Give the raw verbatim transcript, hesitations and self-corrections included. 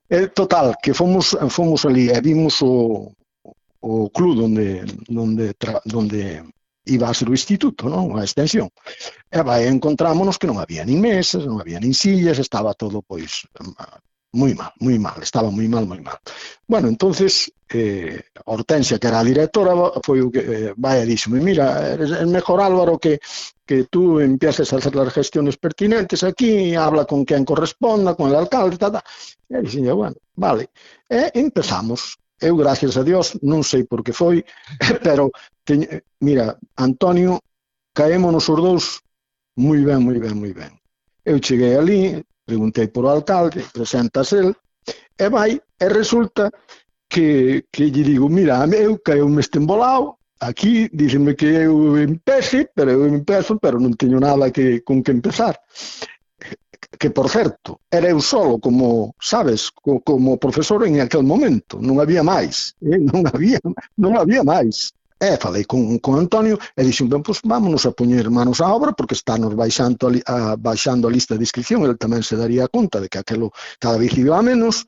Eh, total, que fomos, fomos ali e vimos o, o club donde, donde, tra, donde iba a ser o instituto, non? A extensión. E vai, encontrámonos que non había nin mesas, non había nin sillas, estaba todo, pois, moi mal, moi mal, estaba moi mal, moi mal. Bueno, entonces, eh, Hortensia, que era a directora, foi o que eh, vai e díxome, mira, é mejor, Álvaro, que que tú empieces a hacer las gestiones pertinentes aquí, habla con quien corresponda, con el alcalde, tal, tal. E dixen, bueno, vale. E empezamos. Eu, gracias a Dios, non sei por que foi, pero, teñ, mira, Antonio, caémonos os dous moi ben, moi ben, moi ben. Eu cheguei ali, preguntei por o alcalde, presentas el, e vai, e resulta que, que lle digo, mira, eu caeu-me este embolado, aquí, dícenme que eu empece, pero eu empezo, pero non teño nada que, con que empezar. Que, por certo, era eu solo como, sabes, como profesor en aquel momento, non había máis, eh? non había, non había máis. E falei con, con Antonio e dixen, ben, pois vámonos a poñer manos á obra porque estános baixando a, a, baixando a lista de inscripción, ele tamén se daría conta de que aquelo cada vez iba a menos,